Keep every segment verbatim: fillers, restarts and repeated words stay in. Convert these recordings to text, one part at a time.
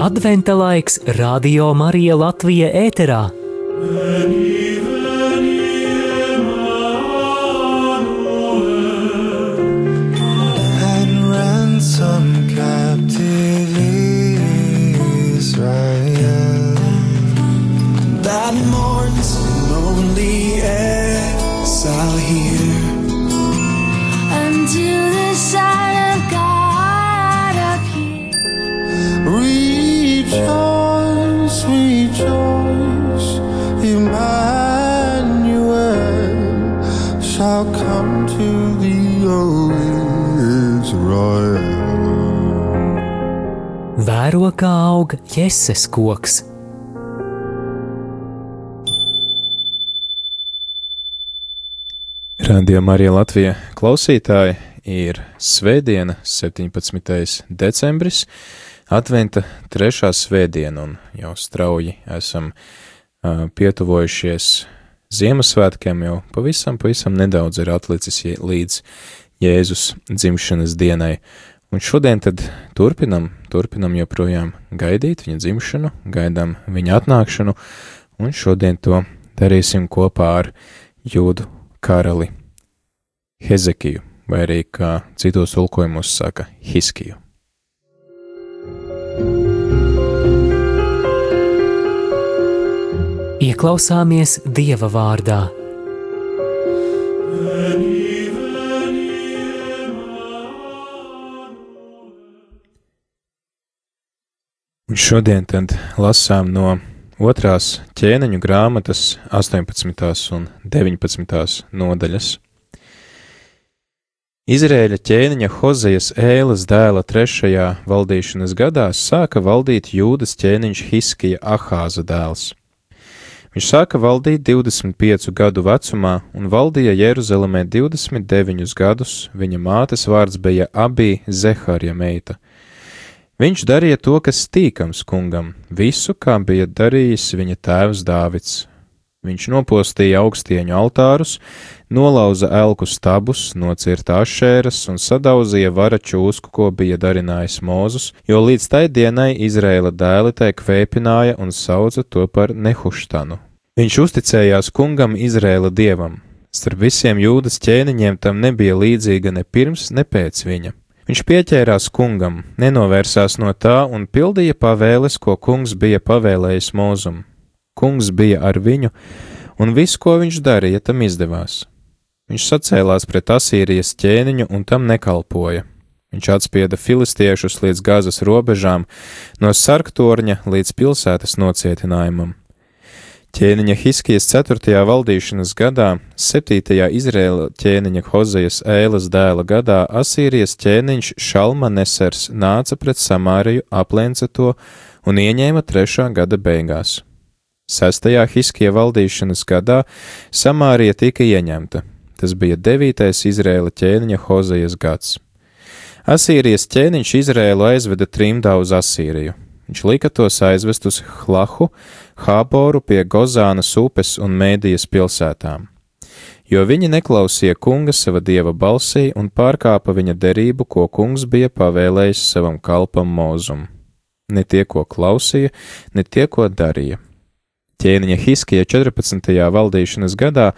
Adventa laiks Radio Marija Latvija ēterā. Vēro, kā aug Jēses koks. Radio Marija Latvija klausītāji, ir svētdiena, septiņpadsmitais decembris, adventa trešā svētdiena, un jau strauji esam uh, pietuvojušies Ziemassvētkiem, jau pavisam, pavisam nedaudz ir atlicis līdz Jēzus dzimšanas dienai. Un šodien tad turpinam, turpinam joprojām gaidīt viņa dzimšanu, gaidām viņa atnākšanu, un šodien to darīsim kopā ar Jūdu karali Hezekiju, vai arī, kā citos tulkojumos saka, Hiskiju. Ieklausāmies Dieva vārdā. Un šodien tad lasām no otrās ķēniņu grāmatas astoņpadsmitās un deviņpadsmitās nodaļas. Izraēļa ķēniņa Hozejas Ēlas dēla trešajā valdīšanas gadā sāka valdīt Jūdas ķēniņš Hiskija Ahāza dēls. Viņš sāka valdīt divdesmit piecu gadu vecumā un valdīja Jeruzalemē divdesmit deviņus gadus, viņa mātes vārds bija Abija Zeharja meita. Viņš darīja to, kas tīkams kungam, visu, kā bija darījis viņa tēvs Dāvids. Viņš nopostīja augstieņu altārus, nolauza elku stabus, nocirta ašēras un sadauzīja vara čūsku, ko bija darinājis Mūzus, jo līdz tai dienai Izraēla dēli tai kvēpināja un sauca to par Nehuštanu. Viņš uzticējās kungam Izraēla dievam. Starp visiem Jūdas ķēniņiem tam nebija līdzīga ne pirms, ne pēc viņa. Viņš pieķērās kungam, nenovērsās no tā un pildīja pavēles, ko kungs bija pavēlējis Mūzum. Kungs bija ar viņu, un viss, ko viņš darīja, tam izdevās. Viņš sacēlās pret Asīrijas ķēniņu un tam nekalpoja. Viņš atspieda filistiešus līdz Gazas robežām, no Sarktorņa līdz pilsētas nocietinājumam. Ķēniņa Hiskijas ceturtajā valdīšanas gadā, septītajā Izraēla ķēniņa Hozejas Ēlas dēla gadā, Asīrijas ķēniņš Šalmanesers nāca pret Samāriju, aplenca to un ieņēma trešā gada beigās. Sestajā Hiskija valdīšanas gadā Samārija tika ieņemta. Tas bija devītais Izraēla ķēniņa Hozejas gads. Asīrijas ķēniņš Izraēlu aizveda trimdā uz Asīriju. Viņš lika tos aizvest uz Hlahu, Hāboru pie Gozānas upes un Mēdijas pilsētām, jo viņi neklausīja kunga sava dieva balsī un pārkāpa viņa derību, ko kungs bija pavēlējis savam kalpam Mūzum. Ne tie, ko klausīja, ne tie, ko darīja. Ķēniņa Hiskija četrpadsmitajā valdīšanas gadā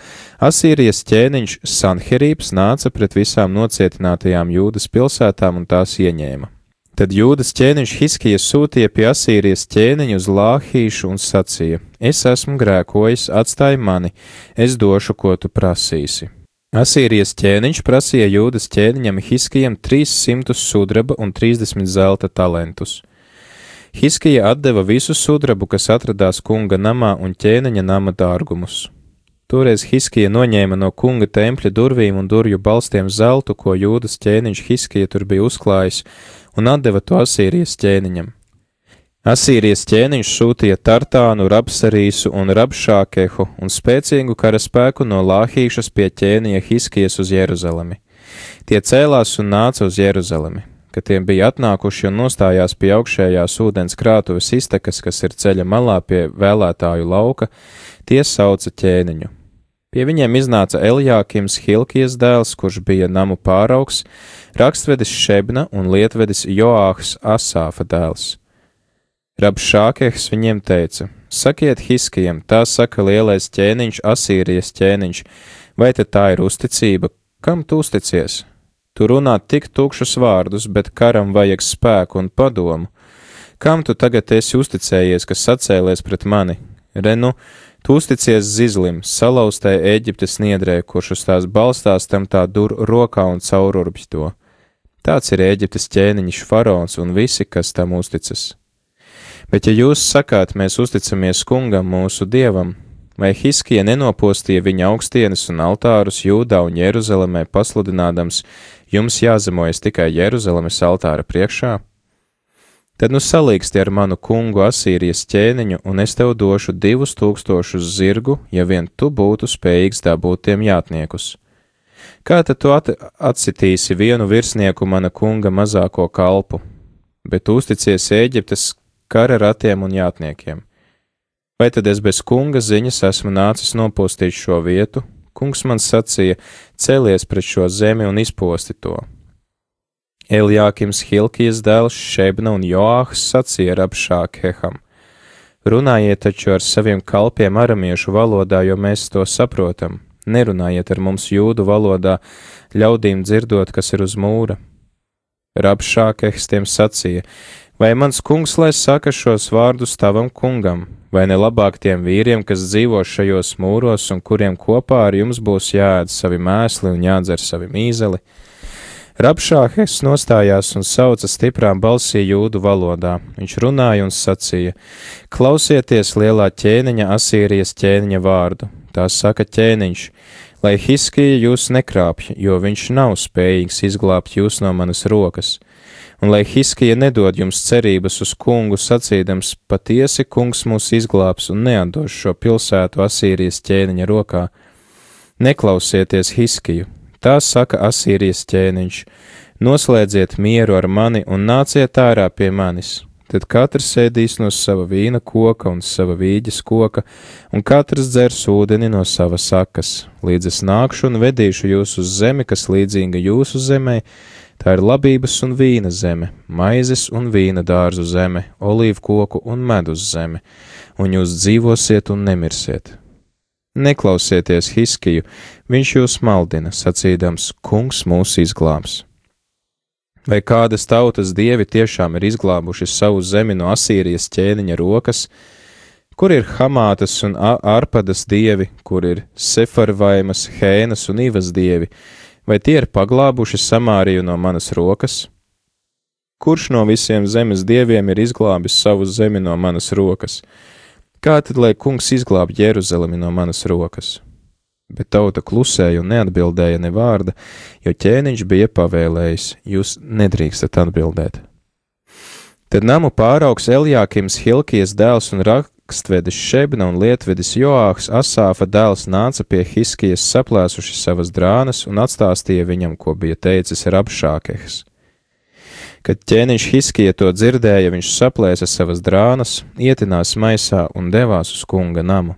Asīrijas ķēniņš Sanherības nāca pret visām nocietinātajām Jūdas pilsētām un tās ieņēma. Tad Jūdas ķēniņš Hiskija sūtīja pie Asīrijas ķēniņu uz Lāhīšu un sacīja: Es esmu grēkojis, atstāj mani, es došu, ko tu prasīsi. Asīrijas ķēniņš prasīja Jūdas ķēniņam Hiskijam trīs simtus sudraba un trīsdesmit zelta talentus. Hiskija atdeva visu sudrabu, kas atradās kunga namā un ķēniņa nama dārgumus. Toreiz Hiskija noņēma no kunga tempļa durvīm un durvju balstiem zeltu, ko Jūdas ķēniņš Hiskija tur bija uzklājis, un atdeva to Asīrijas ķēniņam. Asīrijas ķēniņš sūtīja Tartānu, Rabsarīsu un Rabšākehu un spēcīgu karaspēku no Lāhīšas pie ķēniņa Hiskijas uz Jeruzalemi. Tie cēlās un nāca uz Jeruzalemi. Kad tiem bija atnākuši un nostājās pie augšējās ūdens krātuves iztekas, kas ir ceļa malā pie vēlētāju lauka, tie sauca ķēniņu. Pie viņiem iznāca Eljākims, Hilkijas dēls, kurš bija namu pāraugs, rakstvedis Šebna un lietvedis Joāhs, Asāfa dēls. Rabšākehs viņiem teica: Sakiet Hiskijam, tā saka lielais ķēniņš, Asīrijas ķēniņš, vai te tā ir uzticība? Kam tu uzticies? Tu runā tik tukšus vārdus, bet karam vajag spēku un padomu. Kam tu tagad esi uzticējies, kas sacēlies pret mani? Re nu, tu uzticies zizlim, salauztai Ēģiptes niedrē, kurš uz tās balstās, tam tā dur rokā un caururbj to. Tāds ir Ēģiptes ķēniņš faraons un visi, kas tam uzticas. Bet ja jūs sakāt, mēs uzticamies kungam mūsu dievam, vai Hiskija nenopostīja viņa augstienes un altārus Jūdā un Jeruzalemē pasludinādams, jums jāzemojas tikai Jeruzalemes altāra priekšā? Tad nu salīgsti ar manu kungu Asīrijas ķēniņu, un es tev došu divus tūkstošus zirgu, ja vien tu būtu spējīgs dabūt tiem jātniekus. Kā tad tu at atsitīsi vienu virsnieku mana kunga mazāko kalpu, bet uzticies Ēģiptes kara ratiem un jātniekiem? Vai tad es bez kunga ziņas esmu nācis nopostīt šo vietu? Kungs man sacīja: celies pret šo zemi un izposti to. Eljākims, Hilkijas dēls, Šebna un Joāhs sacīja Rabšākeham: runājiet taču ar saviem kalpiem aramiešu valodā, jo mēs to saprotam. Nerunājiet ar mums jūdu valodā, ļaudīm dzirdot, kas ir uz mūra. Rabšākehs tiem sacīja: vai mans kungs lai saka šos vārdus tavam kungam, vai ne labāk tiem vīriem, kas dzīvo šajos mūros un kuriem kopā ar jums būs jāēd savi mēsli un jādzer savi mīzeli? Rabšākehs nostājās un sauca stiprām balsī jūdu valodā. Viņš runāja un sacīja: klausieties lielā ķēniņa Asīrijas ķēniņa vārdu. Tā saka ķēniņš: lai Hiskija jūs nekrāpj, jo viņš nav spējīgs izglābt jūs no manas rokas. Un lai Hiskija nedod jums cerības uz kungu sacīdams: patiesi kungs mūs izglābs un neatdos šo pilsētu Asīrijas ķēniņa rokā. Neklausieties Hiskiju. Tā saka Asīrijas ķēniņš: noslēdziet mieru ar mani un nāciet ārā pie manis. Tad katrs ēdīs no sava vīna koka un sava vīģes koka, un katrs dzers ūdeni no savas sakas, līdz es nākšu un vedīšu jūs uz zemi, kas līdzīga jūsu zemē. Tā ir labības un vīna zeme, maizes un vīna dārzu zeme, olīvu koku un medus zeme, un jūs dzīvosiet un nemirsiet. Neklausieties Hiskiju, viņš jūs maldina, sacīdams: kungs mūs izglābs. Vai kādas tautas dievi tiešām ir izglābuši savu zemi no Asīrijas ķēniņa rokas? Kur ir Hamātas un Arpadas dievi, kur ir Sefarvaimas, Hēnas un Ivas dievi? Vai tie ir paglābuši Samāriju no manas rokas? Kurš no visiem zemes dieviem ir izglābis savu zemi no manas rokas? Kā tad, lai kungs izglāb Jeruzalemi no manas rokas? Bet tauta klusēja un neatbildēja ne vārda, jo ķēniņš bija pavēlējis: jūs nedrīkstat atbildēt. Tad namu pāraugs Eljākims, Hilkijas dēls un rakstvedis Šebna un lietvedis Joāhs, Asāfa dēls, nāca pie Hiskijas saplēsuši savas drānas un atstāstīja viņam, ko bija teicis Rabšākehs. Kad ķēniņš Hiskija to dzirdēja, viņš saplēsa savas drānas, ietinās maisā un devās uz kunga namu.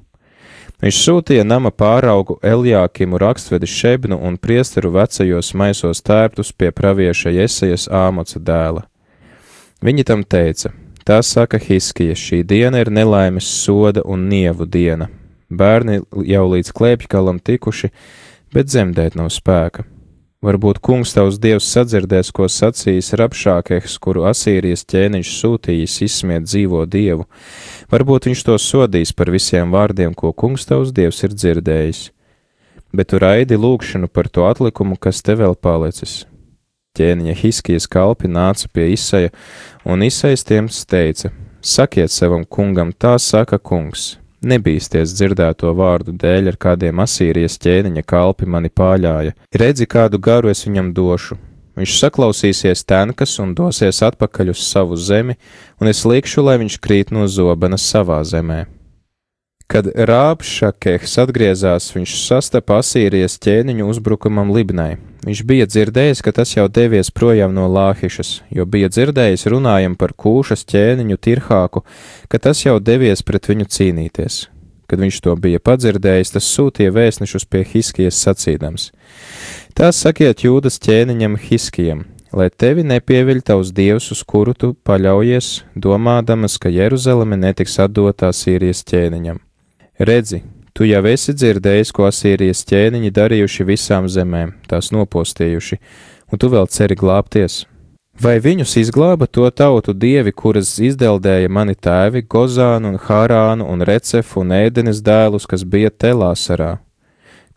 Viņš sūtīja nama pāraugu Eljākimu, rakstvedi Šebnu un priesteru vecajos maisos tērptus pie pravieša Jesajas Āmoca dēla. Viņi tam teica: tā saka Hiskija, šī diena ir nelaimes soda un nievu diena. Bērni jau līdz klēpjkalam tikuši, bet dzemdēt nav spēka. Varbūt kungs tavs dievs sadzirdēs, ko sacījis Rabšākehs, kuru Asīrijas ķēniņš sūtījis izsmiet dzīvo dievu. Varbūt viņš to sodīs par visiem vārdiem, ko kungs tavs dievs ir dzirdējis. Bet tu raidi lūgšanu par to atlikumu, kas te vēl palicis. Ķēniņa Hiskijas kalpi nāca pie Isaja, un Isajs tiem teica: sakiet savam kungam, tā saka kungs. Nebīsties dzirdēto vārdu dēļ, ar kādiem Asīrijas ķēniņa kalpi mani pāļāja. Redzi, kādu garu es viņam došu. Viņš saklausīsies tenkas un dosies atpakaļ uz savu zemi, un es likšu, lai viņš krīt no zobena savā zemē. Kad Rabšākehs atgriezās, viņš sastapa Asīrijas ķēniņu uzbrukumam Libnai. Viņš bija dzirdējis, ka tas jau devies projām no Lāhišas, jo bija dzirdējis runājam par Kūšas ķēniņu Tirhāku, ka tas jau devies pret viņu cīnīties. Kad viņš to bija padzirdējis, tas sūtīja vēstnešus pie Hiskijas sacīdams: tā sakiet Jūdas ķēniņam Hiskijam: lai tevi nepieviļ tavs dievs, uz kuru tu paļaujies, domādamas, ka Jeruzaleme netiks atdotā Asīrijas ķēniņam. Redzi, tu jau esi dzirdējis, ko Asīrijas ķēniņi darījuši visām zemēm, tās nopostījuši, un tu vēl ceri glābties. Vai viņus izglāba to tautu dievi, kuras izdeldēja mani tēvi, Gozānu un Hārānu un Recefu un Ēdenes dēlus, kas bija Telāsarā?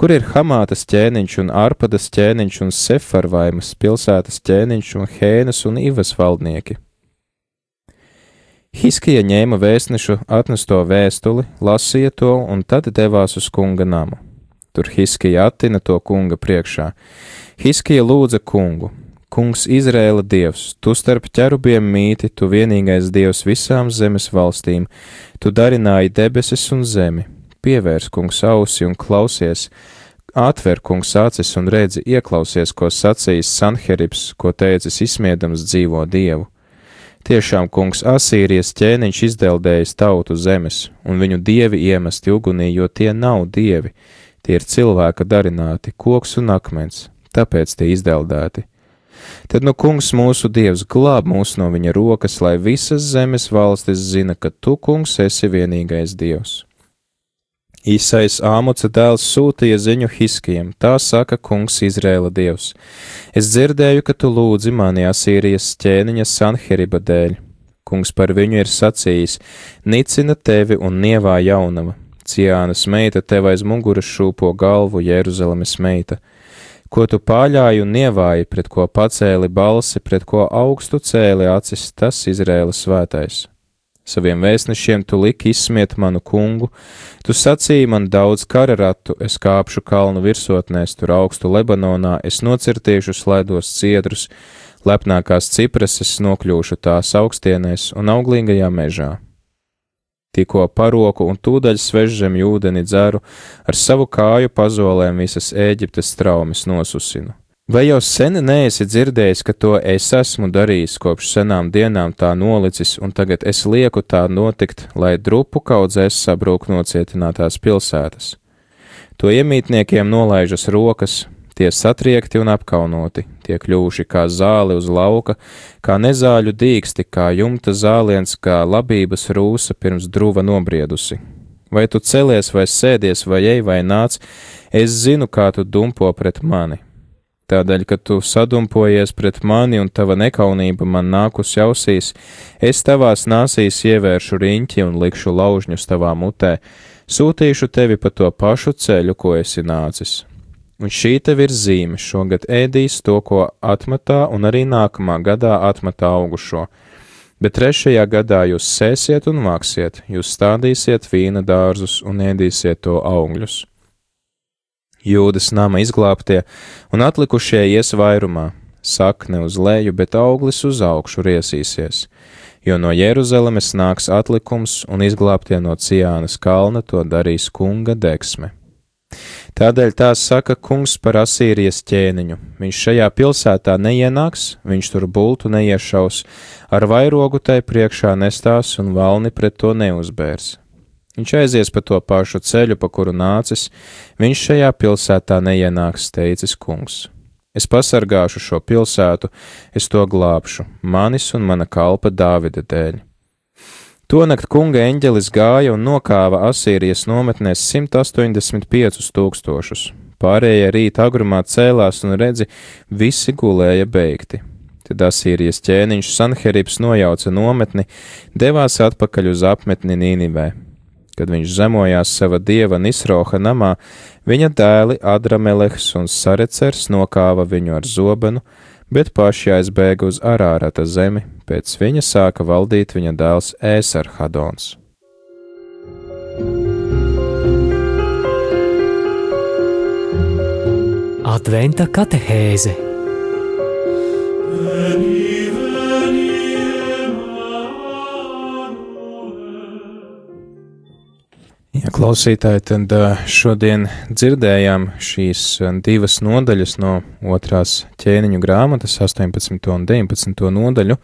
Kur ir Hamātas ķēniņš un Arpadas ķēniņš un Sefarvaimas pilsētas ķēniņš un Hēnas un Ivas valdnieki? Hiskija ņēma vēstnešu atnesto vēstuli, lasīja to un tad devās uz kunga namu. Tur Hiskija attina to kunga priekšā. Hiskija lūdza kungu: Kungs Izrēla dievs, tu starp ķerubiem mīti, tu vienīgais dievs visām zemes valstīm, tu darināji debesis un zemi. Pievērs, kungs, ausi un klausies, atver, kungs, acis un redzi, ieklausies, ko sacījis Sanheribs, ko teicis izsmiedams dzīvo dievu. Tiešām, kungs, Asīrijas ķēniņš izdeldējis tautu zemes, un viņu dievi iemesti ugunī, jo tie nav dievi, tie ir cilvēka darināti, koks un akmens, tāpēc tie izdeldēti. Tad nu kungs mūsu dievs glāb mūs no viņa rokas, lai visas zemes valstis zina, ka tu, kungs, esi vienīgais dievs. Īsais Āmoca dēls sūtīja ziņu Hiskijam, tā saka kungs Izrēla dievs. Es dzirdēju, ka tu lūdzi mani Asīrijas ķēniņa Sanheriba dēļ. Kungs par viņu ir sacījis: nicina tevi un nievā jaunava. Ciānas meita tev aiz muguras šūpo galvu, Jeruzalemes meita. Ko tu pāļāji un nievāji, pret ko pacēli balsi, pret ko augstu cēli acis, tas Izrēla svētais. Saviem vēstnešiem tu liki izsmiet manu kungu, tu sacīji man daudz kararatu, es kāpšu kalnu virsotnēs, tur augstu Lebanonā, es nocirtīšu slēdos ciedrus, lepnākās cipreses nokļūšu tās augstienēs un auglīgajā mežā. Tikko paroku un tūdaļ svežzemju ūdeni dzeru, ar savu kāju pazolēm visas Ēģiptes traumes nosusinu. Vai jau sen neesi dzirdējis, ka to es esmu darījis, kopš senām dienām tā nolicis, un tagad es lieku tā notikt, lai drupu kaudzēs sabrūk nocietinātās pilsētas? To iemītniekiem nolaižas rokas, tie satriekti un apkaunoti, tie kļūši kā zāli uz lauka, kā nezāļu dīksti, kā jumta zāliens, kā labības rūsa pirms druva nobriedusi. Vai tu celies, vai sēdies, vai ej, vai nāc, es zinu, kā tu dumpo pret mani. Tādēļ, ka tu sadumpojies pret mani un tava nekaunība man nākus ausīs, es tavās nāsīs ievēršu riņķi un likšu laužņus tavā mutē, sūtīšu tevi pa to pašu ceļu, ko esi nācis. Un šī tev ir zīme, šogad ēdīs to, ko atmatā, un arī nākamā gadā atmatā augušo. Bet trešajā gadā jūs sēsiet un vāksiet, jūs stādīsiet vīna dārzus un ēdīsiet to augļus. Jūdas nama izglābtie un atlikušie ies vairumā, sakne uz leju, bet auglis uz augšu riesīsies, jo no Jeruzalemes nāks atlikums un izglābtie no Ciānas kalna to darīs kunga degsme. Tādēļ tā saka kungs par Asīrijas ķēniņu, viņš šajā pilsētā neienāks, viņš tur bultu neiešaus, ar vairogu tai priekšā nestās un valni pret to neuzbērs. Viņš aizies pa to pašu ceļu, pa kuru nācis, viņš šajā pilsētā neienāks, teicis kungs. Es pasargāšu šo pilsētu, es to glābšu, manis un mana kalpa Dāvida dēļ. Tonakt kunga eņģelis gāja un nokāva Asīrijas nometnēs simt astoņdesmit piecus tūkstošus. Pārējie rīt agrumā cēlās un redzi, visi gulēja beigti. Tad Asīrijas ķēniņš Sanheribs nojauca nometni, devās atpakaļ uz apmetni Nīnivē. Kad viņš zemojās sava dieva Nisroha namā, viņa dēli Adramelehs un Sarecers nokāva viņu ar zobenu, bet paši aizbēga uz Arārata zemi, pēc viņa sāka valdīt viņa dēls Ēsarhadons. Adventa katehēze. Ja, klausītāji, tad šodien dzirdējām šīs divas nodaļas no otrās ķēniņu grāmatas, astoņpadsmito un deviņpadsmito nodaļu.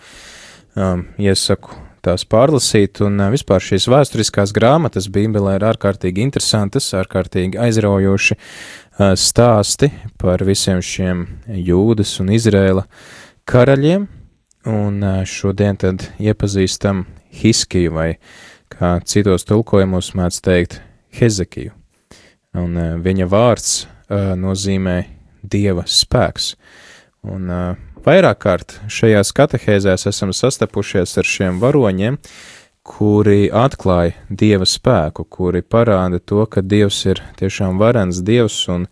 Iesaku tās pārlasīt, un vispār šīs vēsturiskās grāmatas Bībelē ir ārkārtīgi interesantas, ārkārtīgi aizraujoši stāsti par visiem šiem Jūdas un Izrēla karaļiem, un šodien tad iepazīstam Hiskiju, vai kā citos tulkojumos mēdz teikt Hezekiju. Un viņa vārds nozīmē Dieva spēks. Un vairāk kārt šajās katehēzēs esam sastapušies ar šiem varoņiem, kuri atklāja Dieva spēku, kuri parāda to, ka Dievs ir tiešām varens Dievs un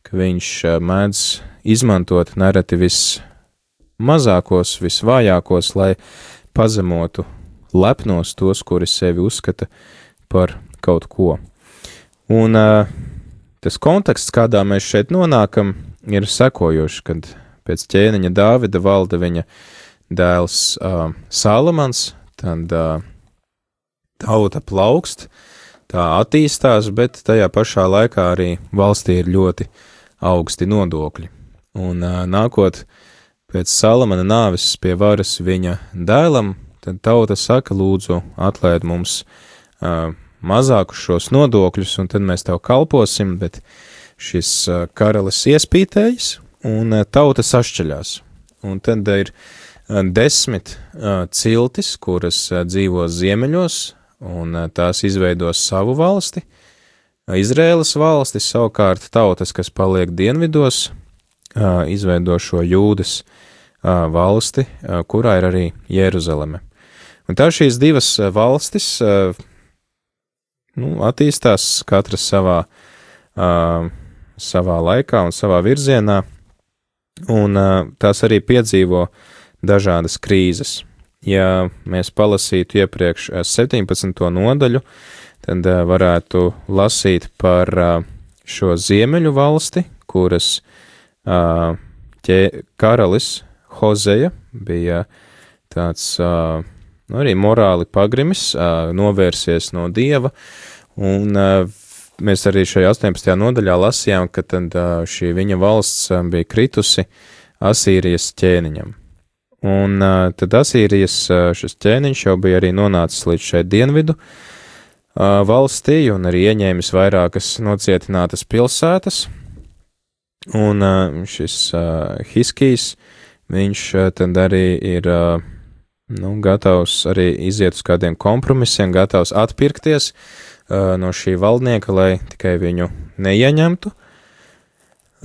ka viņš mēdz izmantot nereti vismazākos, visvājākos, lai pazemotu lepnos tos, kuri sevi uzskata par kaut ko. Un uh, tas konteksts, kādā mēs šeit nonākam, ir sekojošs, kad pēc ķēniņa Dāvida valda viņa dēls uh, Salamans, tad uh, tauta plaukst, tā attīstās, bet tajā pašā laikā arī valstī ir ļoti augsti nodokļi. Un uh, nākot pēc Salamana nāves pie varas viņa dēlam, tad tauta saka, lūdzu, atlaid mums uh, mazākus šos nodokļus, un tad mēs tev kalposim, bet šis uh, karalis iespītējas, un uh, tauta sašķeļās. Un tad ir uh, desmit uh, ciltis, kuras uh, dzīvo ziemeļos, un uh, tās izveidos savu valsti. Izrēlas valsti, savukārt tautas, kas paliek dienvidos, uh, izveido šo Jūdas uh, valsti, uh, kurā ir arī Jeruzaleme. Un tā šīs divas uh, valstis uh, nu, attīstās katras savā, uh, savā laikā un savā virzienā, un uh, tās arī piedzīvo dažādas krīzes. Ja mēs palasītu iepriekš septiņpadsmito nodaļu, tad uh, varētu lasīt par uh, šo ziemeļu valsti, kuras uh, ķē, karalis Hozeja bija tāds uh, nu, arī morāli pagrimis, uh, novērsies no Dieva, un uh, mēs arī šajā astoņpadsmitajā nodaļā lasījām, ka tad uh, šī viņa valsts uh, bija kritusi Asīrijas ķēniņam. Un uh, tad Asīrijas uh, šis ķēniņš jau bija arī nonācis līdz šai dienvidu uh, valstī un arī ieņēmis vairākas nocietinātas pilsētas. Un uh, šis uh, Hiskijs, viņš uh, tad arī ir uh, nu, gatavs arī iziet uz kādiem kompromisiem, gatavs atpirkties uh, no šī valdnieka, lai tikai viņu neieņemtu.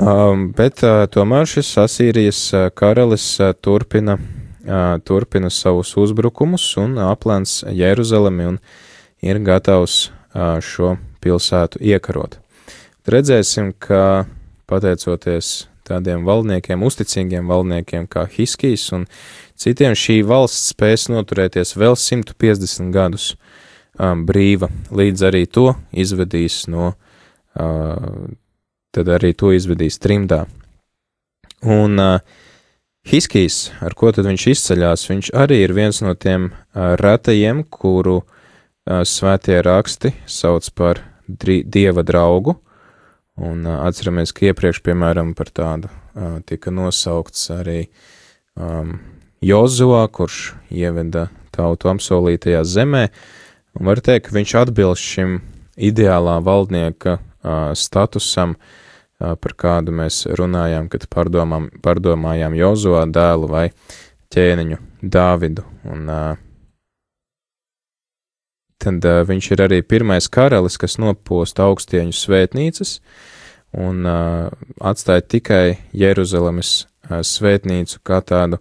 Um, bet uh, tomēr šis Asīrijas uh, karalis uh, turpina, uh, turpina savus uzbrukumus un aplēns Jeruzalemi un ir gatavs uh, šo pilsētu iekarot. Redzēsim, ka pateicoties tādiem valdniekiem, uzticīgiem valdniekiem kā Hiskijs un citiem, šī valsts spēs noturēties vēl simt piecdesmit gadus um, brīva, līdz arī to izvedīs no uh, tad arī to izvedīs trimdā. Un uh, Hiskijs, ar ko tad viņš izceļās, viņš arī ir viens no tiem uh, retajiem, kuru uh, svētie raksti sauc par dri, Dieva draugu, un uh, atceramies, ka iepriekš, piemēram, par tādu uh, tika nosaukts arī um, Jozuā, kurš ieveda tautu apsolītajā zemē, un var teikt, ka viņš atbilst šim ideālā valdnieka uh, statusam, par kādu mēs runājām, kad pārdomām, pārdomājām Jozuā dēlu vai ķēniņu Dāvidu. Un uh, tad uh, viņš ir arī pirmais karalis, kas noposta augstieņu svētnīcas un uh, atstāja tikai Jeruzalemes uh, svētnīcu kā tādu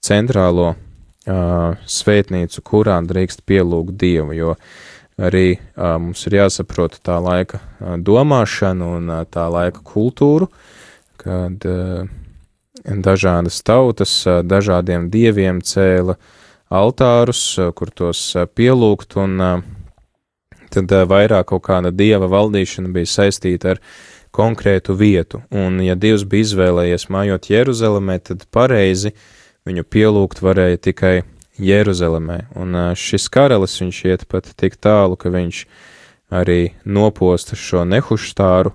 centrālo uh, svētnīcu, kurā drīkst pielūgt Dievu, jo arī uh, mums ir jāsaprot tā laika uh, domāšana un uh, tā laika kultūru, kad uh, dažādas tautas uh, dažādiem dieviem cēla altārus, uh, kur tos uh, pielūgt, un uh, tad uh, vairāk kaut kāda dieva valdīšana bija saistīta ar konkrētu vietu, un ja Dievs bija izvēlējies mājot Jeruzalemē, tad pareizi viņu pielūgt varēja tikai Jeruzalemē, un šis karalis, viņš iet pat tik tālu, ka viņš arī noposta šo nehuštāru,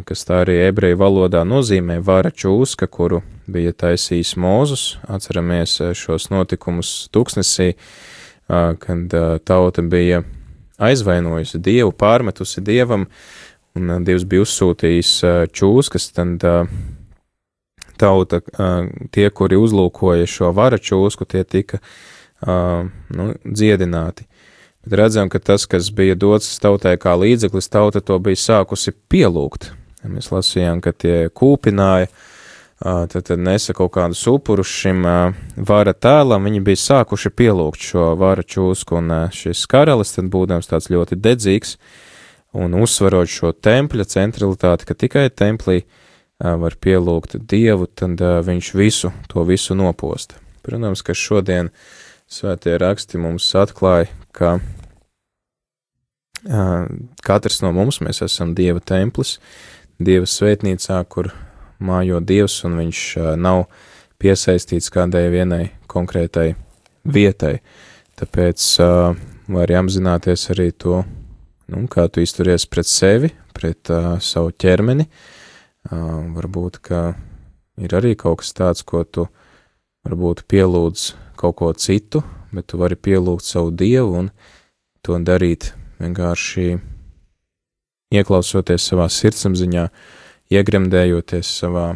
kas tā arī ebreju valodā nozīmē vara čūska, kuru bija taisījis Mūzus. Atceramies šos notikumus Tuksnesī, kad tauta bija aizvainojusi Dievu, pārmetusi Dievam, un Dievs bija uzsūtījis čūskas, tad tauta, tie, kuri uzlūkoja šo vara čūsku, tie tika nu, dziedināti. Bet redzam, ka tas, kas bija dots tautai kā līdzeklis, tauta to bija sākusi pielūgt. Mēs lasījām, ka tie kūpināja, tad, tad nesa kaut kādus upurus šim vara tēlam, viņi bija sākuši pielūgt šo vara čūsku, un šis karalis, tad būdams tāds ļoti dedzīgs, un uzsvarot šo tempļa centralitāti, ka tikai templī var pielūgt Dievu, tad viņš visu, to visu noposta. Protams, ka šodien svētie raksti mums atklāja, ka katrs no mums, mēs esam Dieva templis, Dieva svētnīcā, kur mājo Dievs, un viņš nav piesaistīts kādai vienai konkrētai vietai. Tāpēc var apzināties arī to, nu, kā tu izturies pret sevi, pret uh, savu ķermeni. Uh, varbūt, ka ir arī kaut kas tāds, ko tu varbūt pielūdz kaut ko citu, bet tu vari pielūgt savu Dievu un to darīt vienkārši ieklausoties savā sirdsapziņā, iegremdējoties savā,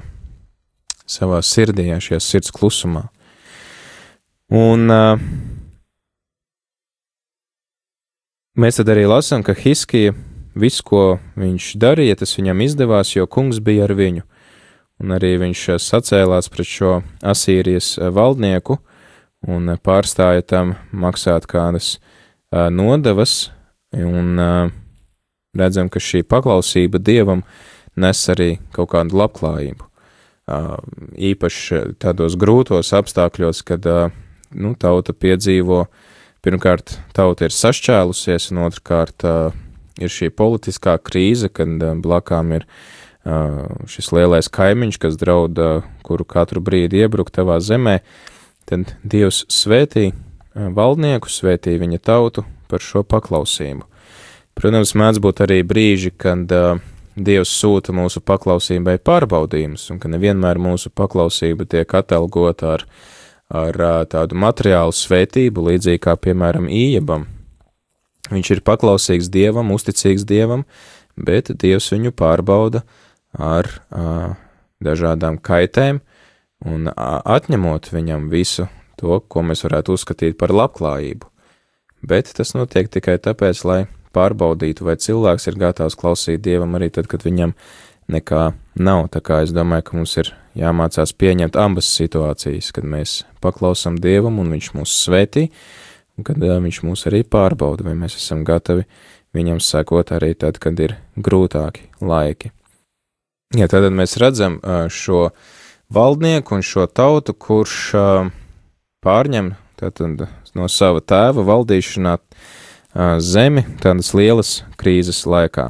savā sirdī, šajā sirds klusumā. Un uh, mēs tad arī lasām, ka Hiskija viss, ko viņš darīja, tas viņam izdevās, jo kungs bija ar viņu. Un arī viņš sacēlās pret šo Asīrijas valdnieku un pārstāja tam maksāt kādas nodevas, un redzam, ka šī paklausība Dievam nes arī kaut kādu labklājību. Īpaši tādos grūtos apstākļos, kad nu, tauta piedzīvo, pirmkārt, tauta ir sašķēlusies, un otrkārt ir šī politiskā krīze, kad blakām ir šis lielais kaimiņš, kas draud, kuru katru brīdi iebrukt tavā zemē, tad Dievs svētī valdnieku, svētī viņa tautu par šo paklausību. Protams, mēdz būt arī brīži, kad Dievs sūta mūsu paklausībai pārbaudījumus, un ka nevienmēr mūsu paklausība tiek atalgota ar, ar tādu materiālu svētību, līdzīgi kā, piemēram, Ījabam. Viņš ir paklausīgs Dievam, uzticīgs Dievam, bet Dievs viņu pārbauda ar a, dažādām kaitēm un a, atņemot viņam visu to, ko mēs varētu uzskatīt par labklājību. Bet tas notiek tikai tāpēc, lai pārbaudītu, vai cilvēks ir gatavs klausīt Dievam arī tad, kad viņam nekā nav. Tā kā es domāju, ka mums ir jāmācās pieņemt abas situācijas, kad mēs paklausam Dievam un viņš mūs svētī, un kad uh, viņš mūs arī pārbauda, vai mēs esam gatavi viņam sekot arī tad, kad ir grūtāki laiki. Ja, tad mēs redzam uh, šo valdnieku un šo tautu, kurš uh, pārņem tātad, no sava tēva valdīšanā uh, zemi tādas lielas krīzes laikā.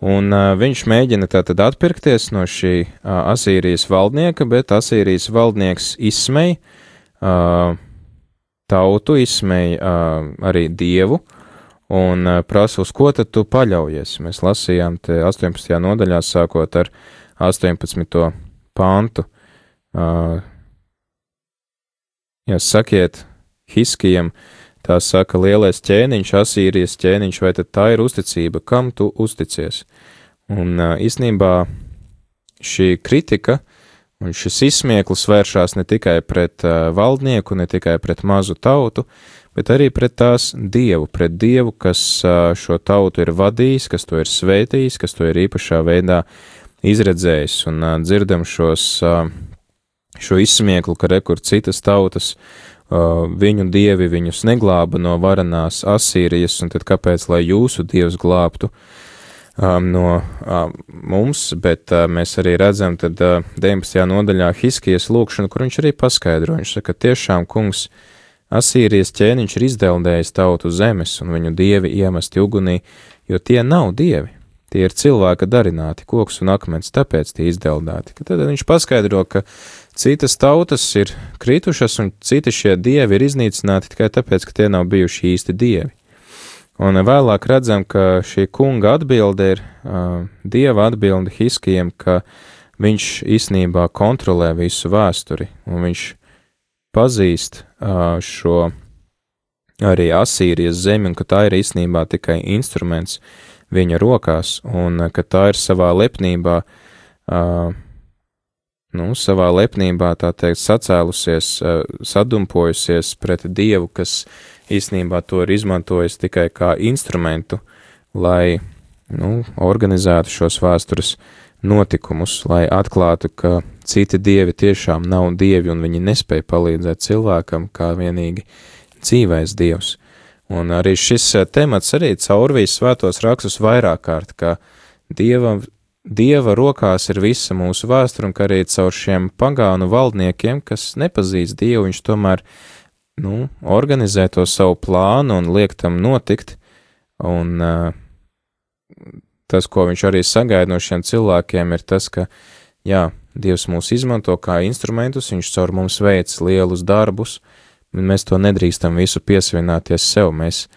Un uh, viņš mēģina tātad atpirkties no šī uh, Asīrijas valdnieka, bet Asīrijas valdnieks izsmej uh, tautu, izsmēja uh, arī Dievu un uh, prasa, uz ko tad tu paļaujies. Mēs lasījām te astoņpadsmitajā nodaļā, sākot ar astoņpadsmito pantu. Uh, ja sakiet Hiskijam, tā saka lielais ķēniņš, Asīrijas ķēniņš, vai tad tā ir uzticība, kam tu uzticies? Un uh, īstenībā šī kritika un šis izsmieklis vēršās ne tikai pret uh, valdnieku, ne tikai pret mazu tautu, bet arī pret tās Dievu, pret Dievu, kas uh, šo tautu ir vadījis, kas to ir svētījis, kas to ir īpašā veidā izredzējis. Un uh, dzirdam šos, uh, šo izsmieklu, ka rekur citas tautas, uh, viņu dievi viņus neglāba no varanās Asīrijas, un tad kāpēc, lai jūsu Dievs glābtu Um, no um, mums, bet uh, mēs arī redzam tad uh, deviņpadsmitajā nodaļā Hiskijas lūkšanu, kur viņš arī paskaidro. Viņš saka, tiešām kungs Asīrijas ķēniņš ir izdeldējis tautu zemes un viņu dievi iemesti ugunī, jo tie nav dievi, tie ir cilvēka darināti, koks un akmens, tāpēc tie izdeldēti. Tad viņš paskaidro, ka citas tautas ir kritušas un citi šie dievi ir iznīcināti tikai tāpēc, ka tie nav bijuši īsti dievi. Un vēlāk redzam, ka šī kunga atbilde ir uh, Dieva atbilde Hiskijam, ka viņš īstenībā kontrolē visu vēsturi, un viņš pazīst uh, šo arī Asīrijas zemi, un ka tā ir īstenībā tikai instruments viņa rokās, un uh, ka tā ir savā lepnībā uh, nu, savā lepnībā, tā teikt, sacēlusies, sadumpojusies pret Dievu, kas īstenībā to ir izmantojis tikai kā instrumentu, lai, nu, organizētu šos vēstures notikumus, lai atklātu, ka citi dievi tiešām nav dievi un viņi nespēja palīdzēt cilvēkam kā vienīgi dzīvais dievs. Un arī šis temats arī caurvīs svētos rakstus vairāk kārt, ka dieva, dieva rokās ir visa mūsu vēsture un ka arī caur šiem pagānu valdniekiem, kas nepazīst Dievu, viņš tomēr, nu, organizē to savu plānu un liek tam notikt, un uh, tas, ko viņš arī sagaida no šiem cilvēkiem, ir tas, ka, jā, Dievs mūs izmanto kā instrumentus, viņš caur mums veic lielus darbus, un mēs to nedrīkstam visu piesavināties sev, mēs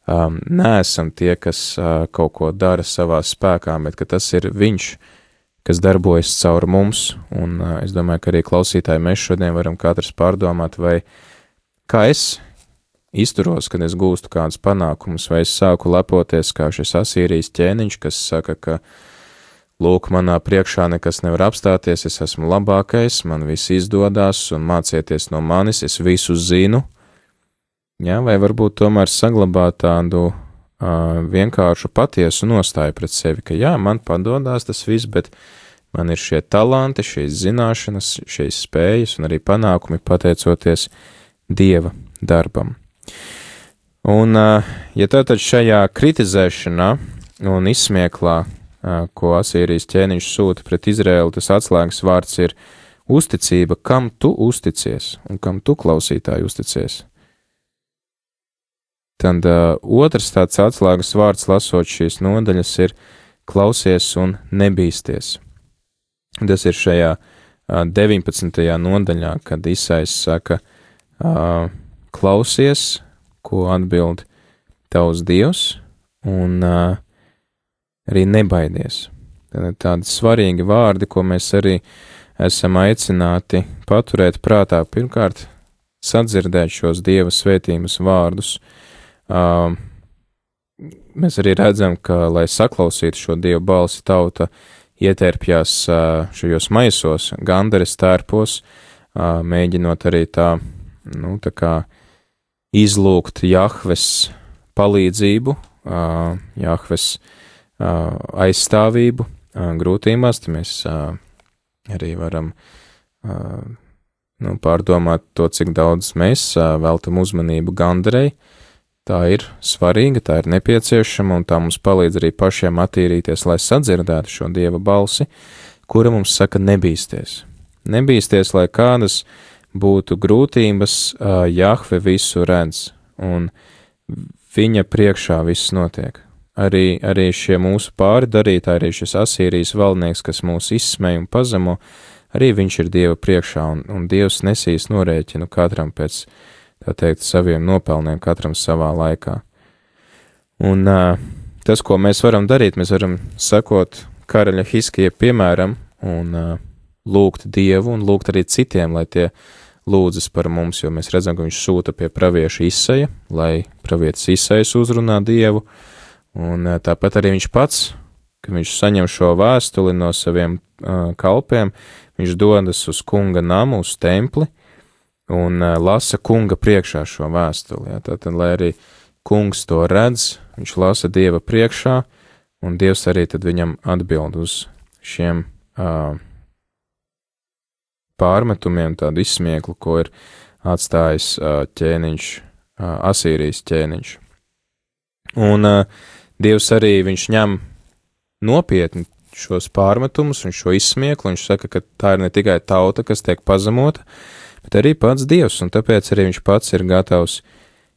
um, neesam tie, kas uh, kaut ko dara savā spēkā, bet ka tas ir viņš, kas darbojas caur mums, un uh, es domāju, ka arī klausītāji mēs šodien varam katrs pārdomāt, vai kā es izturos, kad es gūstu kādus panākumus, vai es sāku lepoties kā šis Asīrijas ķēniņš, kas saka, ka lūk, manā priekšā nekas nevar apstāties, es esmu labākais, man viss izdodās un mācieties no manis, es visu zinu, jā, vai varbūt tomēr saglabāt tādu uh, vienkāršu patiesu nostāju pret sevi, ka jā, man padodās tas viss, bet man ir šie talanti, šīs zināšanas, šīs spējas un arī panākumi pateicoties Dieva darbam. Un, ja tātad šajā kritizēšanā un izsmieklā, ko Asīrijas ķēniņš sūta pret Izraēlu, tas atslēgas vārds ir uzticība, kam tu uzticies un kam tu, klausītāji, uzticies. Tad uh, otrs tāds atslēgas vārds, lasot šīs nodaļas, ir klausies un nebīsties. Tas ir šajā uh, deviņpadsmitajā nodaļā, kad Isais saka, uh, klausies, ko atbild tavs Dievs, un uh, arī nebaidies. Tad tādi svarīgi vārdi, ko mēs arī esam aicināti paturēt prātā. Pirmkārt, sadzirdēt šos Dieva svētības vārdus. Uh, mēs arī redzam, ka, lai saklausītu šo Dieva balsi, tauta ietērpjās uh, šajos maisos, gandares tērpos, uh, mēģinot arī tā, nu, tā kā izlūgt Jahves palīdzību, uh, Jahves uh, aizstāvību uh, grūtībās, tad mēs uh, arī varam uh, nu, pārdomāt to, cik daudz mēs uh, veltam uzmanību gandarei. Tā ir svarīga, tā ir nepieciešama, un tā mums palīdz arī pašiem attīrīties, lai sadzirdētu šo Dieva balsi, kura mums saka nebīsties. Nebīsties, lai kādas būtu grūtības, uh, Jahve visu redz, un viņa priekšā viss notiek. Arī, arī šie mūsu pāri darītāji, arī šis Asīrijas valdnieks, kas mūs izsmēja un pazemo, arī viņš ir Dieva priekšā, un, un Dievs nesīs norēķinu katram pēc, tā teikt, saviem nopelniem, katram savā laikā. Un uh, tas, ko mēs varam darīt, mēs varam sekot karaļa Hiskija piemēram un uh, lūgt Dievu un lūgt arī citiem, lai tie lūdzas par mums, jo mēs redzam, ka viņš sūta pie pravieša Isaja, lai pravietis Isais uzrunā Dievu, un uh, tāpat arī viņš pats, kad viņš saņem šo vēstuli no saviem uh, kalpiem, viņš dodas uz kunga namu, uz templi, un uh, lasa kunga priekšā šo vēstuli. Ja? Tātad, lai arī kungs to redz, viņš lasa Dieva priekšā, un Dievs arī tad viņam atbild uz šiem uh, pārmetumiem, tādu izsmieklu, ko ir atstājis uh, ķēniņš, uh, Asīrijas ķēniņš. Un uh, Dievs arī viņš ņem nopietni šos pārmetumus un šo izsmieklu, viņš saka, ka tā ir ne tikai tauta, kas tiek pazemota, bet arī pats Dievs, un tāpēc arī viņš pats ir gatavs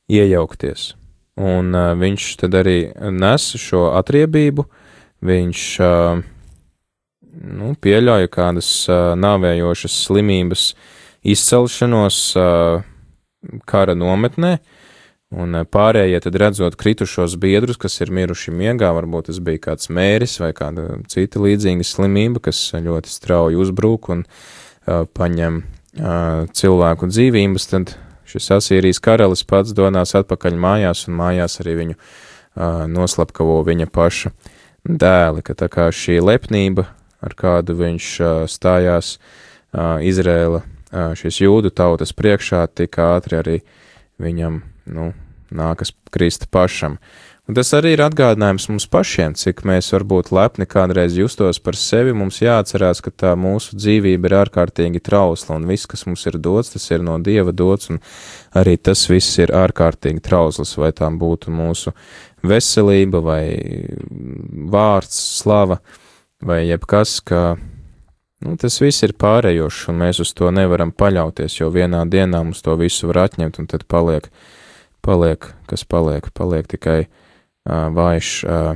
iejaukties. Un uh, viņš tad arī nes šo atriebību, viņš uh, nu, pieļauja kādas uh, nāvējošas slimības izcelšanos uh, kara nometnē, un uh, pārējie tad redzot kritušos biedrus, kas ir miruši miegā, varbūt tas bija kāds mēris vai kāda cita līdzīga slimība, kas ļoti strauji uzbrūk un uh, paņem uh, cilvēku dzīvības, tad šis Asīrijas karalis pats donās atpakaļ mājās, un mājās arī viņu uh, noslapkavo viņa paša dēli, ka tā kā šī lepnība, ar kādu viņš uh, stājās Izraēla, šīs jūdu tautas priekšā, tik ātri arī viņam, nu, nākas krist pašam. Un tas arī ir atgādinājums mums pašiem, cik mēs varbūt lepni kādreiz justos par sevi. Mums jāatcerās, ka tā mūsu dzīvība ir ārkārtīgi trausla, un viss, kas mums ir dots, tas ir no Dieva dots, un arī tas viss ir ārkārtīgi trausls, vai tām būtu mūsu veselība, vai vārds, slava, vai jebkas, ka, nu, tas viss ir pārējošs, un mēs uz to nevaram paļauties, jo vienā dienā mums to visu var atņemt, un tad paliek, paliek, kas paliek, paliek tikai Uh, vājš uh,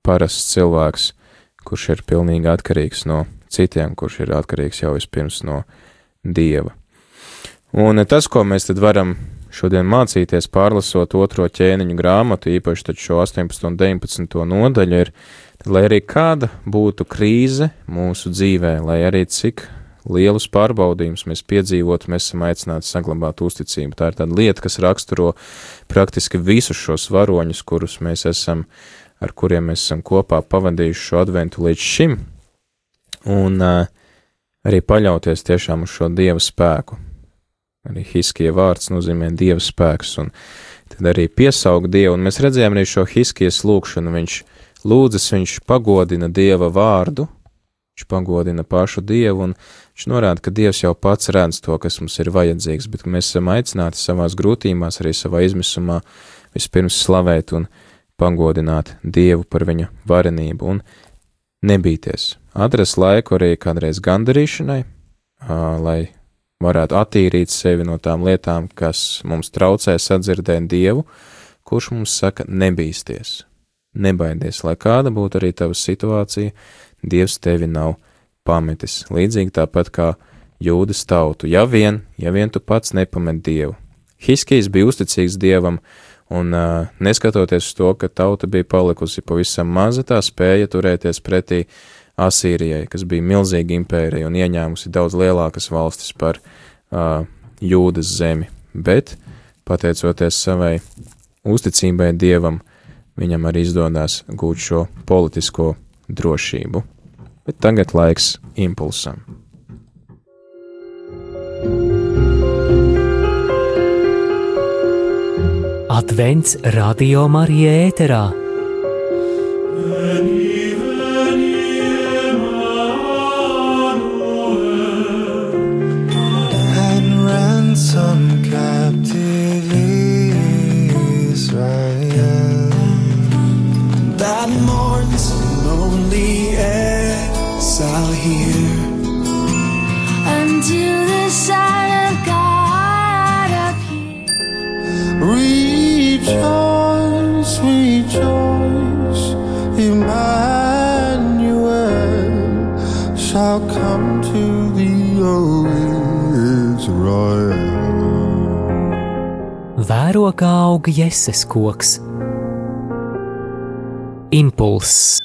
parasts cilvēks, kurš ir pilnīgi atkarīgs no citiem, kurš ir atkarīgs jau vispirms no Dieva. Un tas, ko mēs tad varam šodien mācīties, pārlasot otro ķēniņu grāmatu, īpaši tad šo astoņpadsmito un deviņpadsmito nodaļu, ir, lai arī kāda būtu krīze mūsu dzīvē, lai arī cik lielus pārbaudījumus mēs piedzīvotu, mēs esam aicināti saglabāt uzticību. Tā ir tāda lieta, kas raksturo praktiski visus šos varoņus, kurus mēs esam, ar kuriem mēs esam kopā pavadījuši šo adventu līdz šim, un uh, arī paļauties tiešām uz šo Dieva spēku. Arī Hiskija vārds nozīmē Dieva spēks, un tad arī piesauga Dievu, un mēs redzējām arī šo Hiskijas lūkšanu, viņš lūdzas, viņš pagodina Dieva vārdu, viņš pagodina pašu Dievu, un viņš norāda, ka Dievs jau pats redz to, kas mums ir vajadzīgs, bet mēs esam aicināti savās grūtībās, arī savā izmisumā vispirms slavēt un pagodināt Dievu par viņa varenību un nebīties. Atrast laiku arī kādreiz gandarīšanai, lai varētu attīrīt sevi no tām lietām, kas mums traucē sadzirdēt Dievu, kurš mums saka nebīsties, nebaidies, lai kāda būtu arī tava situācija, Dievs tevi nav pametis, līdzīgi tāpat kā jūdas tautu, ja vien, ja vien tu pats nepamet Dievu. Hiskijs bija uzticīgs Dievam, un uh, neskatoties uz to, ka tauta bija palikusi pavisam maza, tā spēja turēties pretī Asīrijai, kas bija milzīga impērija un ieņēmusi daudz lielākas valstis par uh, jūdas zemi, bet, pateicoties savai uzticībai Dievam, viņam arī izdodās gūt šo politisko drošību. Bet tagad laiks impulsam. Advents Radio Marija ēterā. And ransom captive Israel that mourns lonely exile here until the Son of God appears. Rejoice, rejoice, Emmanuel shall come to thee, O Israel. Vēro, kā aug Jeses koks. Impulss.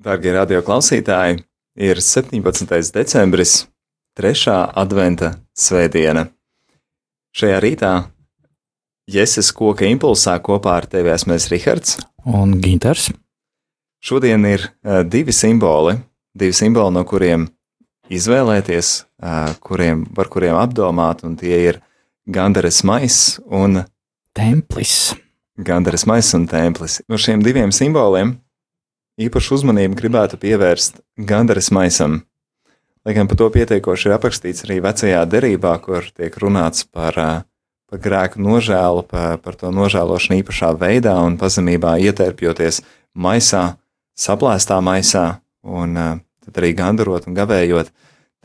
Dārgie radio klausītāji, ir septiņpadsmitais decembris, trešā adventa svētdiena. Šajā rītā Jeses koka impulsā kopā ar tevi esmu Rihards un Ginters. Šodien ir uh, divi simboli, divi simboli, no kuriem izvēlēties, uh, kuriem, par kuriem apdomāt, un tie ir gandaras maiss un templis. Gandaras maiss un templis. No šiem diviem simboliem īpašu uzmanību gribētu pievērst gandaras maisam. Lai gan par to pietiekoši ir aprakstīts arī vecajā derībā, kur tiek runāts par, par grēku nožēlu, par, par to nožēlošanu īpašā veidā un pazemībā ietērpjoties maisā, saplēstā maisā un tad arī gandarot un gavējot,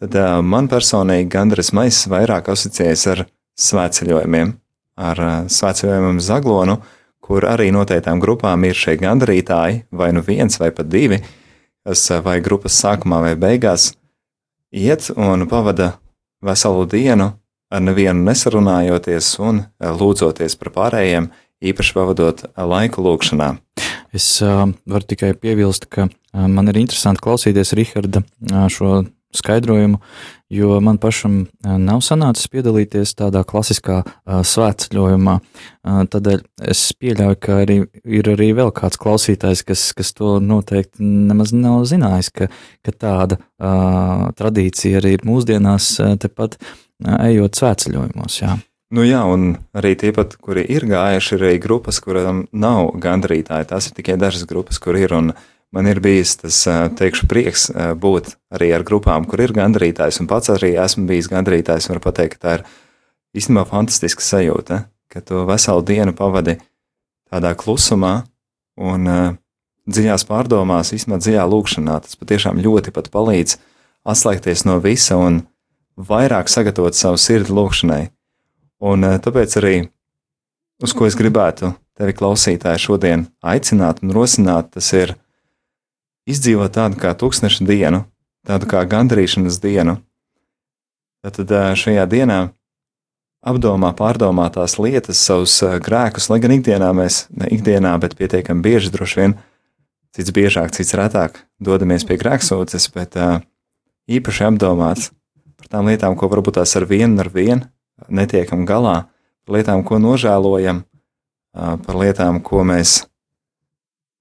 tad man personīgi gandaras maiss vairāk asociējas ar svētceļojumiem, ar svētceļojumiem Zaglonu, kur arī noteiktām grupām ir šie gandarītāji, vai nu viens vai pat divi, kas vai grupas sākumā vai beigās iet un pavada veselu dienu ar nevienu nesarunājoties un lūdzoties par pārējiem, īpaši pavadot laiku lūkšanā. Es uh, varu tikai piebilst, ka uh, man ir interesanti klausīties Riharda uh, šo skaidrojumu, jo man pašam nav sanācis piedalīties tādā klasiskā uh, svētceļojumā. Uh, tādēļ es pieļauju, ka arī ir arī vēl kāds klausītājs, kas, kas to noteikti nemaz nav zinājis, ka, ka tāda uh, tradīcija arī ir mūsdienās uh, tepat uh, ejot svētceļojumos, jā. Nu jā, un arī tie pat, kuri ir gājuši, ir arī grupas, kurām nav gandrītāji. Tās ir tikai dažas grupas, kur ir, un man ir bijis tas, teikšu, prieks būt arī ar grupām, kur ir gandrītājs, un pats arī esmu bijis gandrītājs, varu pateikt, ka tā ir īstenībā fantastiska sajūta, ka tu veselu dienu pavadi tādā klusumā un uh, dziļās pārdomās, īstenībā dziļā lūkšanā. Tas patiešām ļoti pat palīdz atslēgties no visa un vairāk sagatavot savu sirdi lūkšanai. Un uh, tāpēc arī, uz ko es gribētu tevi klausītāji šodien aicināt un rosināt, tas ir izdzīvot tādu kā tūkstneša dienu, tādu kā gandarīšanas dienu. Tad šajā dienā apdomā, pārdomā tās lietas, savus grēkus, lai gan ikdienā mēs, ne ikdienā, bet pietiekami bieži droši vien, cits biežāk, cits retāk dodamies pie grēksūdzes, bet īpaši apdomāts par tām lietām, ko varbūt tās ar vienu ar vienu netiekam galā, par lietām, ko nožēlojam, par lietām, ko mēs,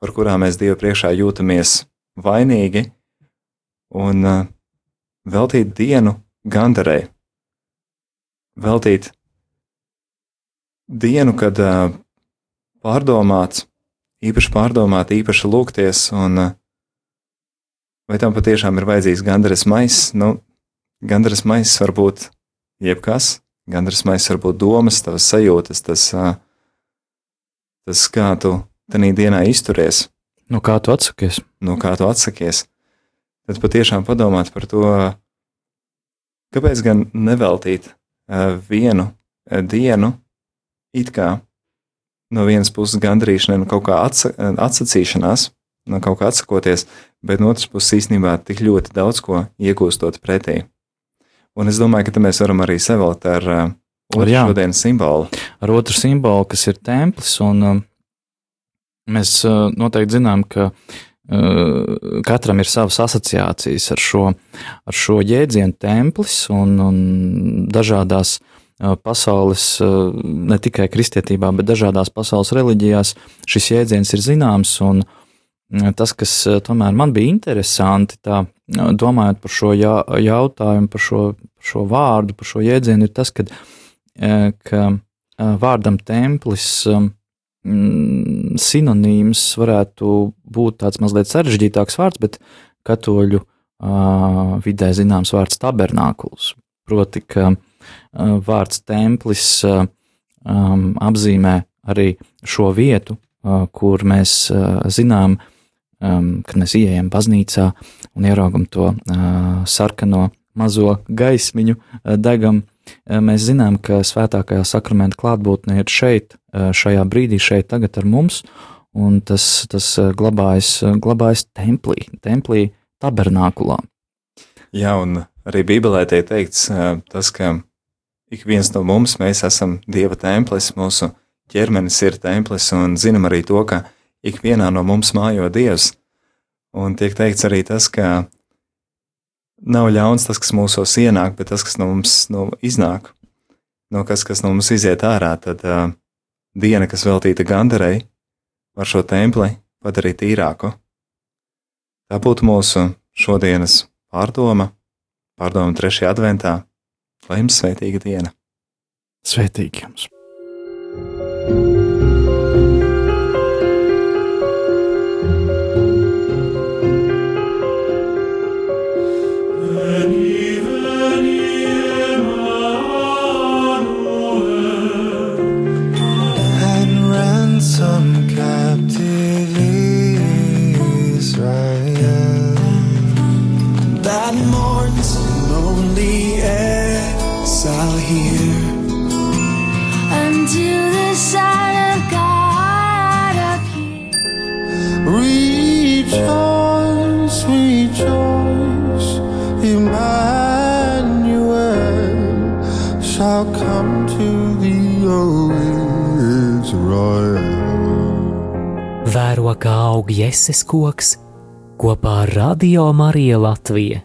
par kurām mēs Dievu priekšā jūtamies vainīgi, un uh, veltīt dienu gandarei. Veltīt dienu, kad uh, pārdomāts, īpaši pārdomāt, īpaši lūgties, un uh, vai tam patiešām ir vajadzīgs gandaras maiss? Nu, gandaras maiss var būt jebkas, gandaras maiss var būt domas, tavas sajūtas, tas, uh, tas kā tu tanī dienā izturies. Nu, kā tu atsakies? Nu, kā tu atsakies? Tad patiešām padomāt par to, kāpēc gan neveltīt uh, vienu uh, dienu, it kā no vienas puses gandarīšanai, no kaut kā atsa, atsacīšanās, no kaut kā atsakoties, bet no otras puses īstenībā tik ļoti daudz ko iegūstot pretī. Un es domāju, ka te mēs varam arī sevēlt ar uh, otru šodienas simbolu. Ar otru simbolu, kas ir templis, un uh, mēs uh, noteikti zinām, ka uh, katram ir savas asociācijas ar šo, ar šo jēdzienu templis, un, un dažādās uh, pasaules, uh, ne tikai kristietībā, bet dažādās pasaules reliģijās šis jēdziens ir zināms, un uh, tas, kas uh, tomēr man bija interesanti, tā, uh, domājot par šo jā, jautājumu, par šo, par šo vārdu, par šo jēdzienu, ir tas, kad, uh, ka uh, vārdam templis um, sinonīms varētu būt tāds mazliet sarežģītāks vārds, bet katoļu uh, vidē zināms vārds tabernākuls. Proti, ka uh, vārds templis uh, um, apzīmē arī šo vietu, uh, kur mēs uh, zinām, um, kad mēs ieejam baznīcā un ieraugam to uh, sarkano mazo gaismiņu, uh, degam. Mēs zinām, ka svētākajā sakramenta klātbūtne ir šeit, šajā brīdī, šeit tagad ar mums, un tas, tas glabājas, glabājas templī, templī tabernākulā. Jā, un arī Bībelē tiek teikts tas, ka ik viens no mums, mēs esam Dieva templis, mūsu ķermenis ir templis, un zinām arī to, ka ik vienā no mums mājo Dievs, un tiek teikts arī tas, ka nav ļauns tas, kas mūsos ienāk, bet tas, kas no mums no, iznāk, no kas, kas no mums iziet ārā, tad uh, diena, kas veltīta gandarei, var šo templi padarīt tīrāku. Tā būtu mūsu šodienas pārdoma, pārdoma trešajā adventā, lai jums svētīga diena. Svētīgi jums! Some captive Israel that mourns lonely exile here until the Son of God appears. Rejoice, rejoice, Emmanuel shall come to thee, O Israel. Vēro, kā aug Jēzus koks kopā ar Radio Mariju Latviju.